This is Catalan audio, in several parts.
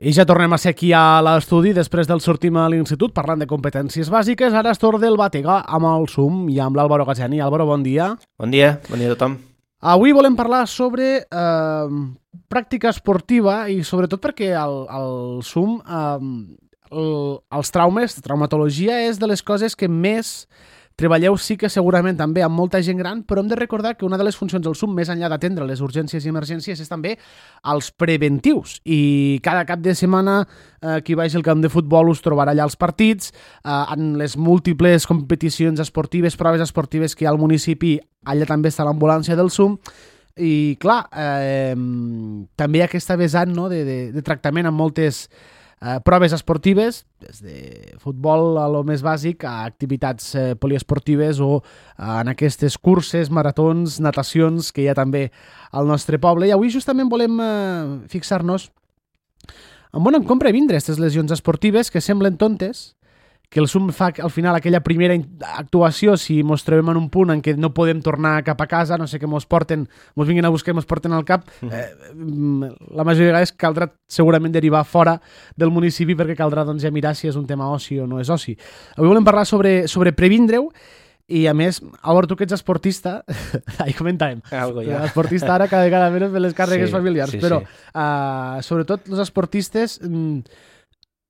I ja tornem a ser aquí a l'estudi després del sortim a l'institut parlant de competències bàsiques. Ara és torn del Batega amb el Zoom i amb l'Álvaro Gazzani. Álvaro, bon dia. Bon dia a tothom. Avui volem parlar sobre pràctica esportiva i sobretot perquè el Zoom, els traumes, traumatologia és de les coses que més treballeu, sí que segurament també amb molta gent gran, però hem de recordar que una de les funcions del Zoom, més enllà d'atendre les urgències i emergències, és també els preventius. I cada cap de setmana qui vagi al camp de futbol us trobarà allà els partits, en les múltiples competicions esportives, proves esportives que hi ha al municipi, allà també està l'ambulància del Zoom. I clar, també hi ha aquesta vessant, no, de tractament amb moltes proves esportives, des de futbol a lo més bàsic a activitats poliesportives o en aquestes curses, maratons, natacions que hi ha també al nostre poble. I avui justament volem fixar-nos en on compra vindre aquestes lesions esportives que semblen tontes, que el Zoom fa al final aquella primera actuació si mos trobem en un punt en què no podem tornar cap a casa, no sé què mos vinguin a buscar i mos porten al cap, la majoria de vegades caldrà segurament derivar fora del municipi perquè caldrà doncs, ja mirar si és un tema oci o no és oci. Avui volem parlar sobre previndre-ho i a més, Álvaro, tu que ets esportista, ahí comentàvem, esportista ara cada vegada menys de les càrregues familiars, però sobretot els esportistes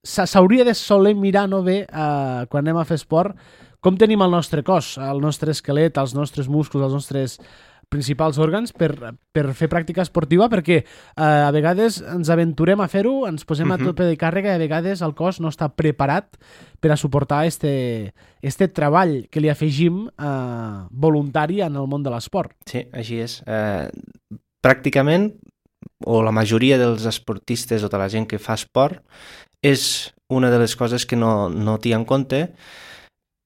s'hauria de soler mirar no bé quan anem a fer esport com tenim el nostre cos, el nostre esquelet, els nostres músculs, els nostres principals òrgans per fer pràctica esportiva, perquè a vegades ens aventurem a fer-ho, ens posem a tope de càrrega i a vegades el cos no està preparat per a suportar este treball que li afegim voluntari en el món de l'esport. Sí, així és. Pràcticament, o la majoria dels esportistes o de la gent que fa esport, és una de les coses que no t'hi en compte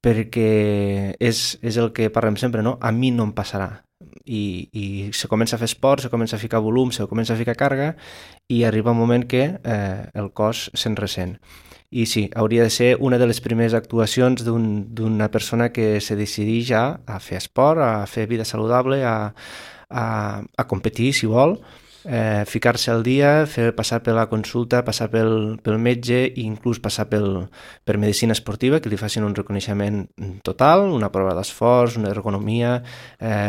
perquè és el que parlem sempre, no? A mi no em passarà. I se comença a fer esport, se comença a ficar volum, se comença a ficar càrrega i arriba un moment que el cos se'n ressent. I sí, hauria de ser una de les primeres actuacions d'una persona que se decideix a fer esport, a fer vida saludable, a competir, si vol, ficar-se al dia, passar per la consulta, passar pel metge i inclús passar per medicina esportiva, que li facin un reconeixement total, una prova d'esforç, una ergonomia,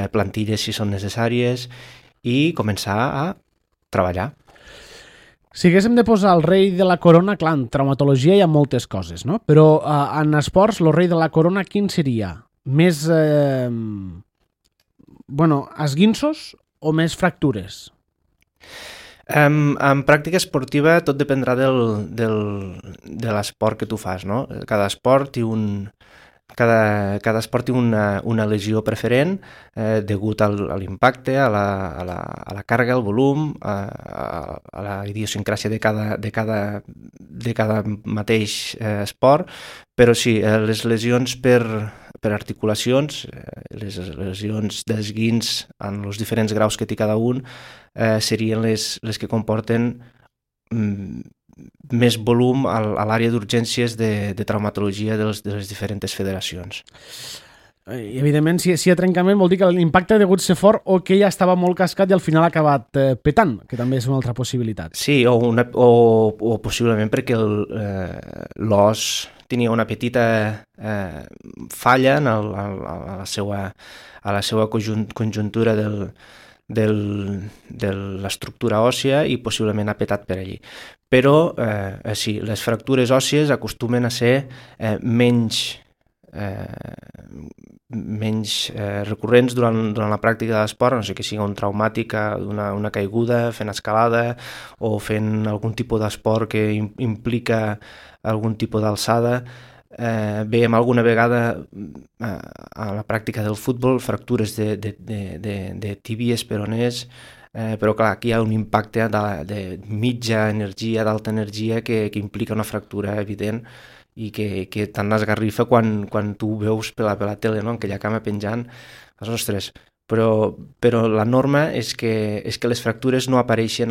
plantilles si són necessàries i començar a treballar. Si haguéssim de posar el rei de la corona, clar, en traumatologia hi ha moltes coses, no? Però en esports, el rei de la corona, quin seria? Més, esguinços o més fractures? En pràctica esportiva tot dependrà de l'esport que tu fas, no? Cada esport té una lesió preferent degut a l'impacte, a la càrrega, al volum, a la idiosincràsia de cada mateix esport, però sí, les lesions per articulacions, les lesions d'esguins en els diferents graus que té cada un, serien les que comporten més volum a l'àrea d'urgències de traumatologia de les diferents federacions. I, evidentment, si hi ha trencament vol dir que l'impacte ha degut ser fort o que ja estava molt cascat i al final ha acabat petant, que també és una altra possibilitat. Sí, o possiblement perquè l'os tenia una petita falla a la seva conjuntura de l'estructura òssia i possiblement ha petat per allí. Però sí, les fractures òssies acostumen a ser menys recurrents durant la pràctica de l'esport, no sé que sigui un traumàtic, una caiguda, fent escalada o fent algun tipus d'esport que implica algun tipus d'alçada. Veiem alguna vegada a la pràctica del futbol fractures de tíbies, peroners, però clar, aquí hi ha un impacte de mitja energia, d'alta energia que implica una fractura evident i que tant esgarrifa quan tu veus per la tele, no? Aquella cama penjant, ostres, però la norma és que les fractures no apareixen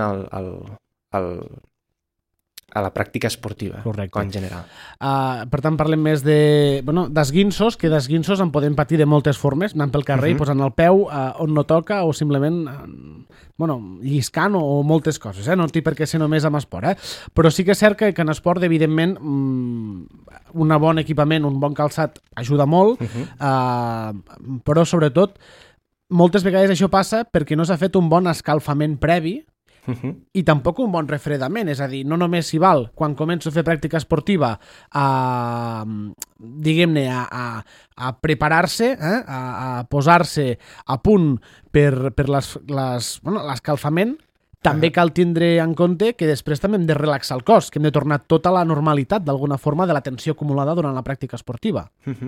a la pràctica esportiva, en general. Per tant, parlem més d'esguinços, que d'esguinços en podem patir de moltes formes, anant pel carrer i posant el peu on no toca o simplement lliscant o moltes coses. No té per què ser només amb esport. Però sí que és cert que en esport, evidentment, un bon equipament, un bon calçat ajuda molt, però sobretot moltes vegades això passa perquè no s'ha fet un bon escalfament previ i tampoc un bon refredament, és a dir, no només s'hi val quan començo a fer pràctica esportiva diguem-ne a preparar-se, a posar-se a punt per l'escalfament, també cal tindre en compte que després també hem de relaxar el cos, que hem de tornar tota la normalitat d'alguna forma de la tensió acumulada durant la pràctica esportiva.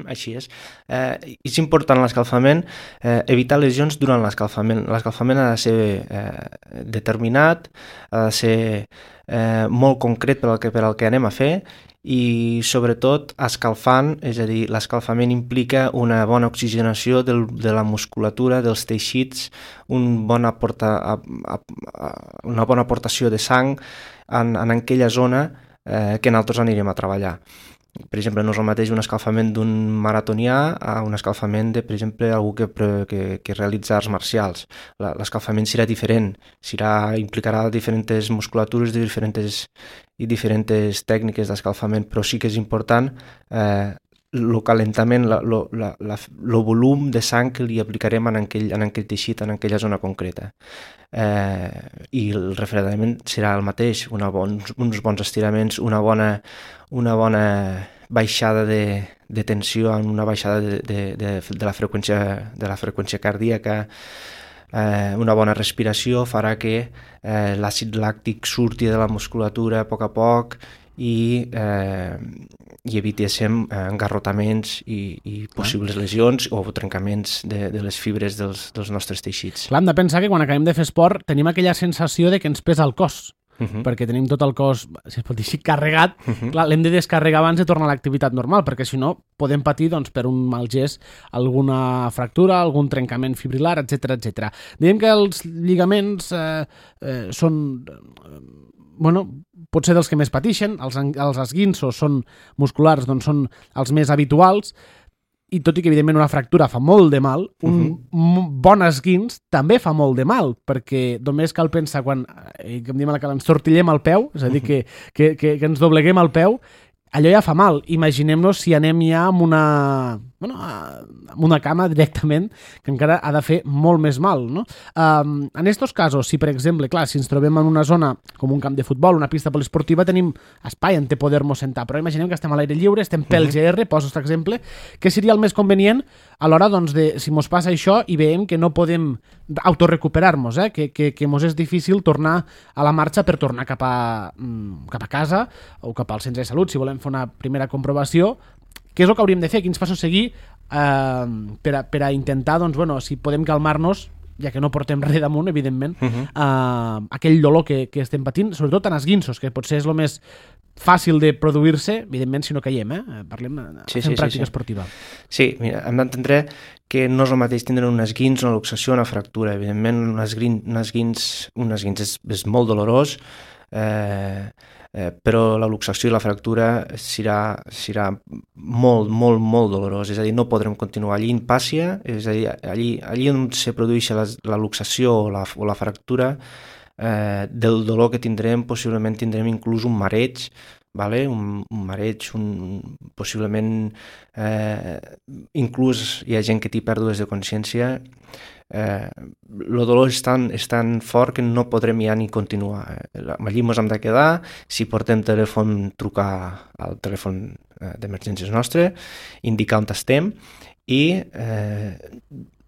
Així és. És important l'escalfament, evitar lesions durant l'escalfament. L'escalfament ha de ser determinat, ha de ser molt concret per al que anem a fer i sobretot escalfant, és a dir, l'escalfament implica una bona oxigenació de la musculatura, dels teixits, una bona aportació de sang en aquella zona que nosaltres anirem a treballar. Per exemple, no és el mateix un escalfament d'un maratonià a un escalfament de, per exemple, algú que realitza arts marcials. L'escalfament serà diferent, implicarà diferents musculatures i diferents tècniques d'escalfament, però sí que és important el calentament, el volum de sang que li aplicarem en aquell teixit, en aquella zona concreta. I el refredament serà el mateix, uns bons estiraments, una bona baixada de tensió, una baixada de la freqüència cardíaca, una bona respiració farà que l'àcid làctic surti de la musculatura a poc i evitéssim engarrotaments i possibles lesions o trencaments de les fibres dels nostres teixits. Clar, hem de pensar que quan acabem de fer esport tenim aquella sensació de que ens pesa el cos, perquè tenim tot el cos, si es pot dir així, carregat. Clar, l'hem de descarregar abans de tornar a l'activitat normal, perquè si no podem patir per un mal gest alguna fractura, algun trencament fibrilar, etc. Diguem que els lligaments són potser dels que més pateixen, els esguinços són musculars, doncs són els més habituals, i tot i que evidentment una fractura fa molt de mal, un bon esguins també fa molt de mal, perquè només cal pensar quan, que em diuen que ens tortillem el peu, és a dir, que ens dobleguem el peu, allò ja fa mal. Imaginem-nos si anem ja amb una cama directament, que encara ha de fer molt més mal, no? En aquests casos, si per exemple, clar, si ens trobem en una zona com un camp de futbol, una pista poliesportiva, tenim espai on poder-nos sentar, però imaginem que estem a l'aire lliure, estem pel GR, poso aquest exemple, què seria el més convenient a l'hora, doncs, de si mos passa això i veiem que no podem autorecuperar-nos, que mos és difícil tornar a la marxa per tornar cap a casa o cap al centre de salut, si volem fer una primera comprovació. Què és el que hauríem de fer? Quins passos seguir per a intentar, doncs, si podem calmar-nos, ja que no portem res damunt, evidentment, aquell dolor que estem patint, sobretot en esguinços, que potser és el més fàcil de produir-se, evidentment, si no caiem, parlem fent pràctica esportiva. Sí, mira, hem d'entendre que no és el mateix tindre un esguins, una luxació, una fractura. Evidentment, un esguins és molt dolorós, però la luxació i la fractura serà molt, molt, molt dolorós. És a dir, no podrem continuar allí in pàcia, és a dir, allí on se produeix la luxació o la fractura, del dolor que tindrem, possiblement tindrem inclús un mareig, un mareig, possiblement inclús hi ha gent que té pèrdues de consciència. El dolor és tan fort que no podrem ja ni continuar. Allí ens hem de quedar, si portem telèfon, trucar al telèfon d'emergències nostre, indicar on estem i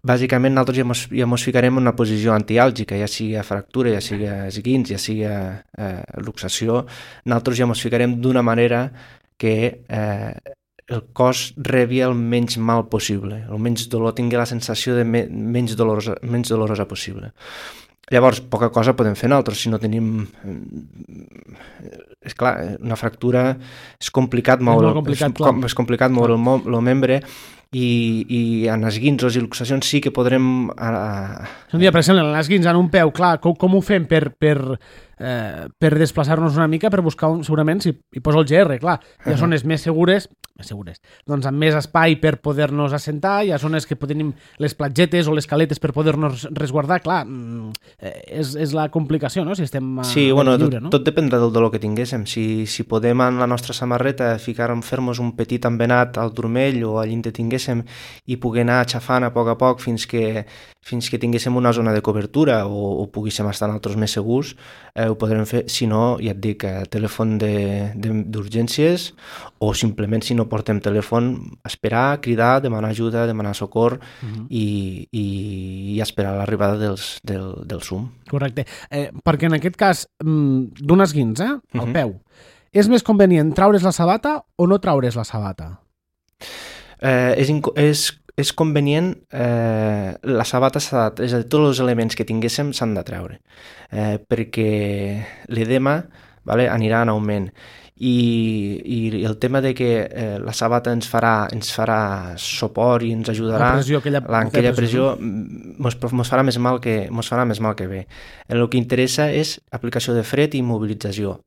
bàsicament nosaltres ja ens ficarem en una posició antiàlgica, ja sigui fractura, ja sigui esguins, ja sigui luxació. Nosaltres ja ens ficarem d'una manera que el cos rebi el menys mal possible, el menys dolor, tingui la sensació de menys dolorosa possible. Llavors, poca cosa podem fer nosaltres si no tenim... És clar, una fractura és complicat moure el membre i en esguinços i luxacions sí que podrem... Un dia, per exemple, en l'esguins en un peu, clar, com ho fem per desplaçar-nos una mica, per buscar, segurament, si hi poso el GR, clar, hi ha zones més segures, doncs amb més espai per poder-nos assentar, hi ha zones que tenim les platgetes o les caletes per poder-nos resguardar, clar, és la complicació, no?, si estem sí, bueno, lliure, no? Tot dependrà del dolor que tinguéssim. Si podem en la nostra samarreta fer-nos un petit embenat al turmell o allí que tinguéssim i poder anar aixafant a poc fins que tinguéssim una zona de cobertura o poguéssim estar en altres més segurs, ho podrem fer. Si no, ja et dic, telèfon d'urgències, o simplement si no portem telèfon, esperar, cridar, demanar ajuda, demanar socor i esperar l'arribada del SUM. Correcte. Perquè en aquest cas d'un esguins, al peu, és més convenient traure's la sabata o no traure's la sabata? És convenient, la sabata és a dir, tots els elements que tinguéssim s'han de treure, perquè l'edema anirà en augment i el tema de que la sabata ens farà suport i ens ajudarà, aquella pressió mos farà més mal que bé. El que interessa és aplicació de fred i immobilització.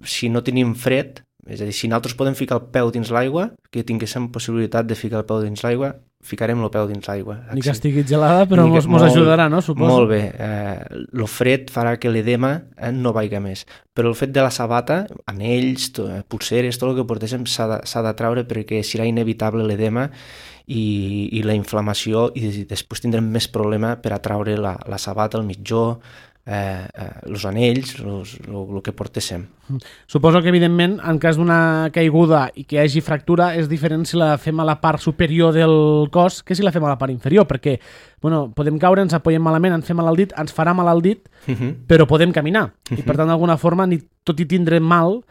Si no tenim fred, és a dir, si nosaltres podem ficar el peu dins l'aigua, que tinguéssim possibilitat de ficar el peu dins l'aigua, ficarem el peu dins l'aigua. Ni que estigui gelada, però mos ajudarà, no? Suposo. Molt bé. El fred farà que l'edema no vaiga més. Però el fet de la sabata, anells, pulseres, tot el que portéssim s'ha de traure perquè serà inevitable l'edema i la inflamació, i després tindrem més problema per atraure la sabata, el mitjó, els anells, el que portéssim. Suposo que, evidentment, en cas d'una caiguda i que hi hagi fractura, és diferent si la fem a la part superior del cos que si la fem a la part inferior, perquè podem caure, ens apoyem malament, ens fem mal al dit, ens farà mal al dit, però podem caminar. I, per tant, d'alguna forma, tot i tindre mal,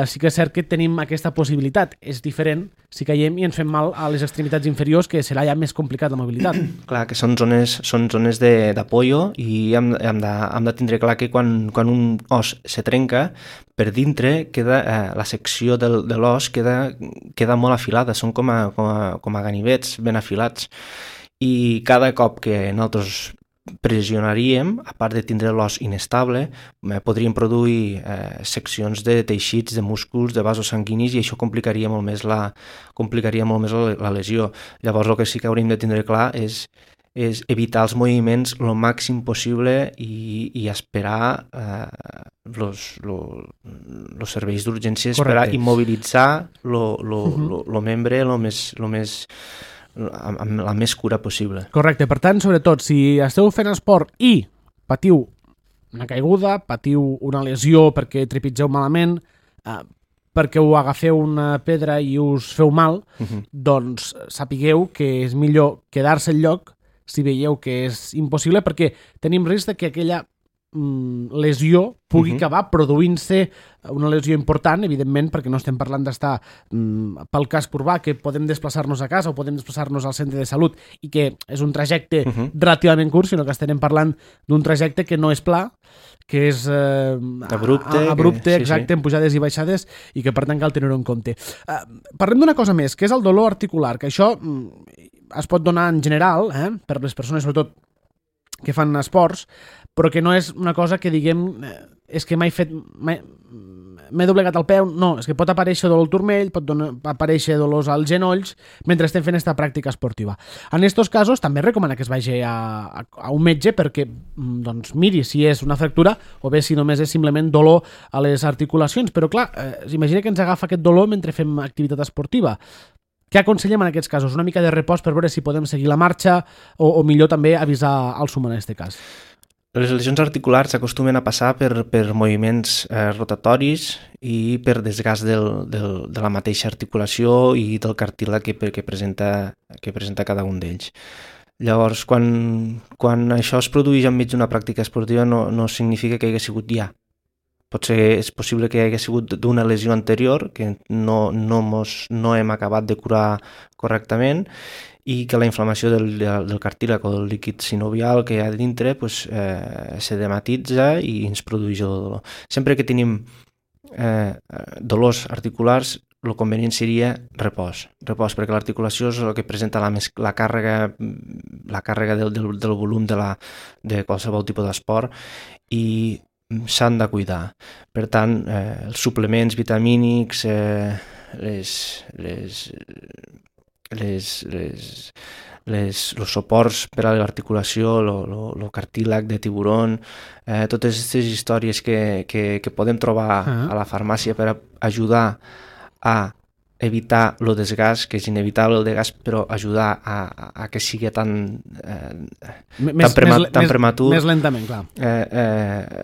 sí que és cert que tenim aquesta possibilitat. És diferent si caiem i ens fem mal a les extremitats inferiors, que serà ja més complicat la mobilitat. Clar, que són zones d'apoyo i hem de tindre clar que quan un os se trenca, per dintre la secció de l'os queda molt afilada, són com a ganivets ben afilats, i cada cop que nosaltres pressionaríem, a part de tindre l'os inestable, podríem produir seccions de teixits, de músculs, de vasos sanguinis, i això complicaria molt més la lesió. Llavors el que sí que hauríem de tindre clar és evitar els moviments el màxim possible i esperar els serveis d'urgències per immobilitzar el membre amb la més cura possible. Correcte. Per tant, sobretot, si esteu fent esport i patiu una caiguda, patiu una lesió perquè trepitgeu malament, perquè ho agafeu una pedra i us feu mal, doncs sapigueu que és millor quedar-se al lloc si veieu que és impossible, perquè tenim risc de que aquella lesió pugui acabar produint-se una lesió important, evidentment, perquè no estem parlant d'estar pel casc urbà, que podem desplaçar-nos a casa o podem desplaçar-nos al centre de salut i que és un trajecte relativament curt, sinó que estem parlant d'un trajecte que no és pla, que és abrupte, exacte, amb pujades i baixades, i que per tant cal tenir-ho en compte. Parlem d'una cosa més, que és el dolor articular, que això es pot donar en general, per les persones sobretot que fan esports, però que no és una cosa que diguem és que m'he doblegat el peu. No, és que pot aparèixer dolor al turmell, pot aparèixer dolors als genolls mentre estem fent aquesta pràctica esportiva. En aquests casos també recomana que es vagi a un metge perquè miri si és una fractura o bé si només és simplement dolor a les articulacions. Però clar, s'imagina que ens agafa aquest dolor mentre fem activitat esportiva. Què aconsellem en aquests casos? Una mica de repòs per veure si podem seguir la marxa o millor també avisar al SUM en aquest cas? Les lesions articulars s'acostumen a passar per moviments rotatoris i per desgast de la mateixa articulació i del cartílag que presenta cada un d'ells. Llavors, quan això es produeix enmig d'una pràctica esportiva no significa que hi hagi sigut ja. És possible que hi hagi sigut d'una lesió anterior que no hem acabat de curar correctament i que la inflamació del cartílag o del líquid sinovial que hi ha dintre s'edematitza i ens produeix el dolor. Sempre que tenim dolors articulars, el convenient seria repòs, perquè l'articulació és el que presenta la càrrega del volum de qualsevol tipus d'esport i s'han de cuidar. Per tant, els suplements vitamínics, els suports per a l'articulació, el cartílag de tiburon, totes aquestes històries que podem trobar a la farmàcia per ajudar a evitar el desgast, que és inevitable el desgast, però ajudar a que sigui tan prematur. Més lentament, clar.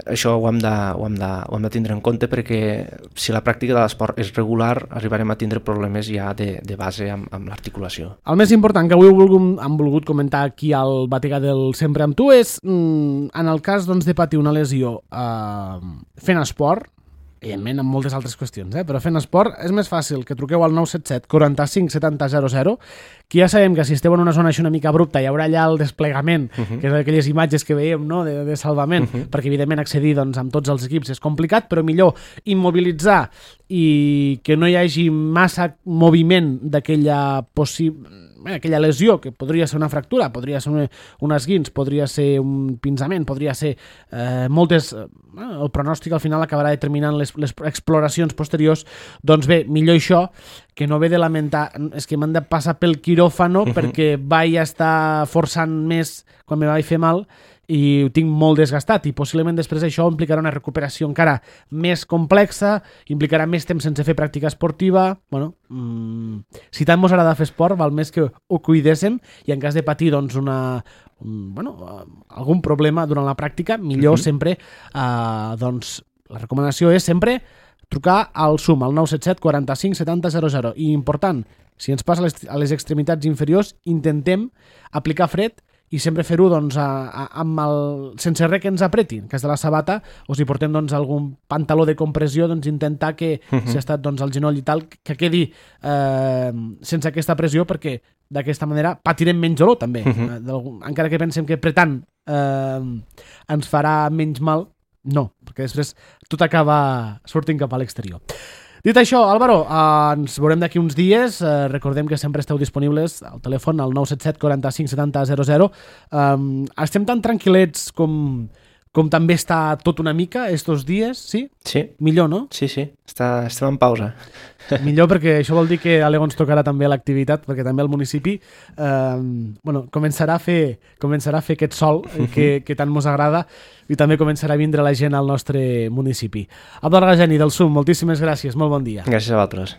Això ho hem de tindre en compte, perquè si la pràctica de l'esport és regular, arribarem a tindre problemes ja de base amb l'articulació. El més important que avui hem volgut comentar aquí al Bategà del Sempre amb tu és, en el cas de patir una lesió fent esport, evidentment amb moltes altres qüestions, però fent esport és més fàcil que truqueu al 977 45 70 00, que ja sabem que si esteu en una zona així una mica abrupta hi haurà allà el desplegament, que és aquelles imatges que veiem, no?, de salvament, perquè evidentment accedir amb tots els equips és complicat, però millor immobilitzar i que no hi hagi massa moviment d'aquella aquella lesió, que podria ser una fractura, podria ser un esguins, podria ser un pinçament, podria ser moltes... el pronòstic al final acabarà determinant les exploracions posteriors. Doncs bé, millor això que no ve de lamentar, és que m'han de passar pel quiròfano perquè vaig estar forçant més quan me vaig fer mal i ho tinc molt desgastat, i possiblement després això implicarà una recuperació encara més complexa, implicarà més temps sense fer pràctica esportiva. Bueno, si tant ens agrada fer esport, val més que ho cuidéssim, i en cas de patir algun problema durant la pràctica, millor sempre, la recomanació és sempre trucar al SUM, al 977 45 70 00. I important, si ens passa a les extremitats inferiors, intentem aplicar fred i sempre fer-ho sense res que ens apretin. En cas de la sabata, o si portem algun pantaló de compressió, intentar que, si ha estat el genoll i tal, que quedi sense aquesta pressió, perquè d'aquesta manera patirem menys dolor també. Encara que pensem que apretant ens farà menys mal, no, perquè després tot acaba sortint cap a l'exterior. Dit això, Álvaro, ens veurem d'aquí uns dies. Recordem que sempre esteu disponibles al telèfon al 977 45 70 00. Estem tan tranquil·lets com també està tot una mica estos dies, sí? Sí. Millor, no? Sí. Estem en pausa. Millor, perquè això vol dir que a l'Ego ens tocarà també l'activitat, perquè també el municipi començarà a fer aquest sol que tant mos agrada, i també començarà a vindre la gent al nostre municipi. Abdel Gajani, del SUM, moltíssimes gràcies, molt bon dia. Gràcies a vosaltres.